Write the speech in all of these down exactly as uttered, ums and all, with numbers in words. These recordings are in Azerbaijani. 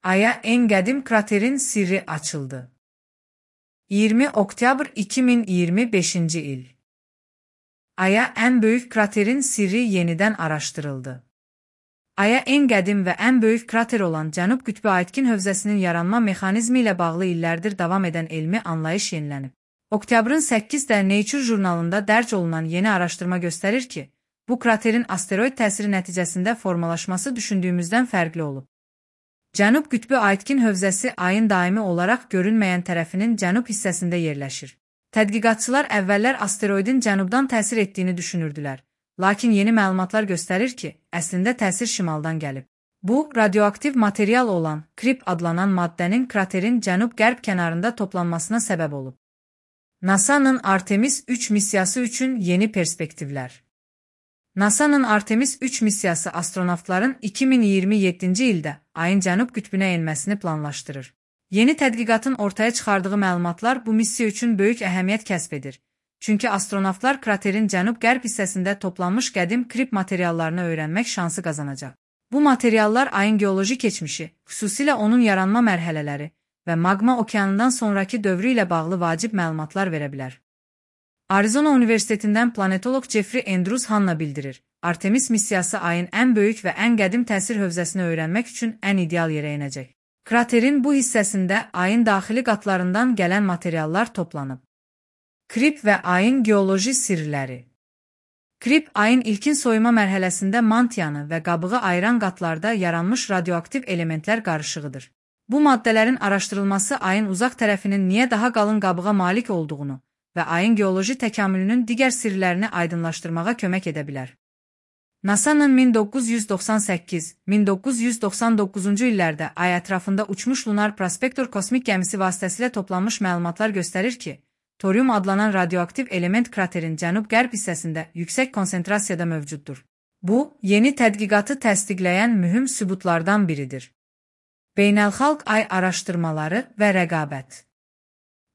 Ay'a en qədim kraterin sirri açıldı. iyirmi oktyabr iki min iyirmi beşinci il. Ay'a en böyük kraterin sirri yenidən araşdırıldı. Ay'a en qədim və ən böyük krater olan Cənub qütbü Aitkin hövzəsinin yaranma mexanizmi ilə bağlı illərdir davam edən elmi anlayış yenilənib. Oktyabrın səkkizdə Nature jurnalında dərc olunan yeni araşdırma göstərir ki, bu kraterin asteroid təsiri nəticəsində formalaşması düşündüyümüzdən fərqli olub. Cənub qütbü Aitkin hövzəsi Ayın daimi olaraq görünməyən tərəfinin cənub hissəsində yerləşir. Tədqiqatçılar əvvəllər asteroidin cənubdan təsir etdiyini düşünürdülər. Lakin yeni məlumatlar göstərir ki, əslində təsir şimaldan gəlib. Bu, radioaktiv material olan krip adlanan maddənin kraterin cənub-qərb kənarında toplanmasına səbəb olub. NASA'nın Artemis üç missiyası üçün yeni perspektivlər. NASA'nın Artemis üç missiyası astronavtların iki min iyirmi yeddinci ildə Ayın cənub qütbünə enməsini planlaşdırır. Yeni tədqiqatın ortaya çıxardığı məlumatlar bu missiya üçün böyük əhəmiyyət kəsb edir. Çünki astronavtlar kraterin cənub-qərb hissəsində toplanmış qədim krip materiallarını öyrənmək şansı qazanacaq. Bu materiallar Ayın geoloji keçmişi, xüsusilə onun yaranma mərhələləri və maqma okeanından sonraki dövrü ilə bağlı vacib məlumatlar verə bilər. Arizona Universitetindən planetoloq Jeffrey Andrews Hanna bildirir, Artemis missiyası Ayın ən böyük və ən qədim təsir hövzəsini öyrənmək üçün ən ideal yerə enəcək. Kraterin bu hissəsində Ayın daxili qatlarından gələn materiallar toplanıb. Krip və Ayın geoloji sirləri. Krip, Ayın ilkin soyuma mərhələsində mantiyanı və qabığı ayıran qatlarda yaranmış radioaktiv elementlər qarışığıdır. Bu maddələrin araşdırılması Ayın uzaq tərəfinin niyə daha qalın qabığa malik olduğunu və Ayın geoloji təkamülünün digər sirlərini aydınlaşdırmağa kömək edə bilər. NASA'nın min doqquz yüz doxsan səkkiz - min doqquz yüz doxsan doqquzuncu illərdə Ay ətrafında uçmuş Lunar Prospektor kosmik gəmisi vasitəsilə toplanmış məlumatlar göstərir ki, torium adlanan radioaktiv element kraterin cənub-qərb hissəsində yüksək konsentrasiyada mövcuddur. Bu, yeni tədqiqatı təsdiqləyən mühüm sübutlardan biridir. Beynəlxalq Ay araşdırmaları və rəqabət.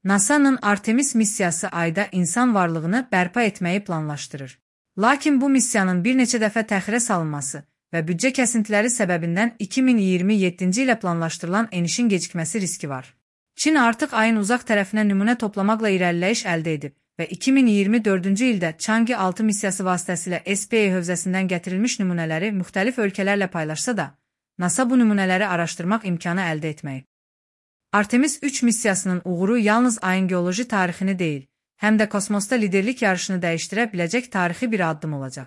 NASA'nın Artemis missiyası Ayda insan varlığını bərpa etməyi planlaşdırır. Lakin bu missiyanın bir neçə dəfə təxirə salınması və büdcə kəsintiləri səbəbindən iki min iyirmi yeddinci ilə planlaşdırılan enişin gecikməsi riski var. Çin artıq Ayın uzaq tərəfinə nümunə toplamaqla irəliləyiş əldə edib və iki min iyirmi dördüncü ildə Chang'e altı missiyası vasitəsilə S P A hövzəsindən gətirilmiş nümunələri müxtəlif ölkələrlə paylaşsa da, NASA bu nümunələri araşdırmaq imkanı əldə etməyib. Artemis üç missiyasının uğuru yalnız Ayın geoloji tarixini deyil, həm də kosmosda liderlik yarışını dəyişdirə biləcək tarixi bir addım olacaq.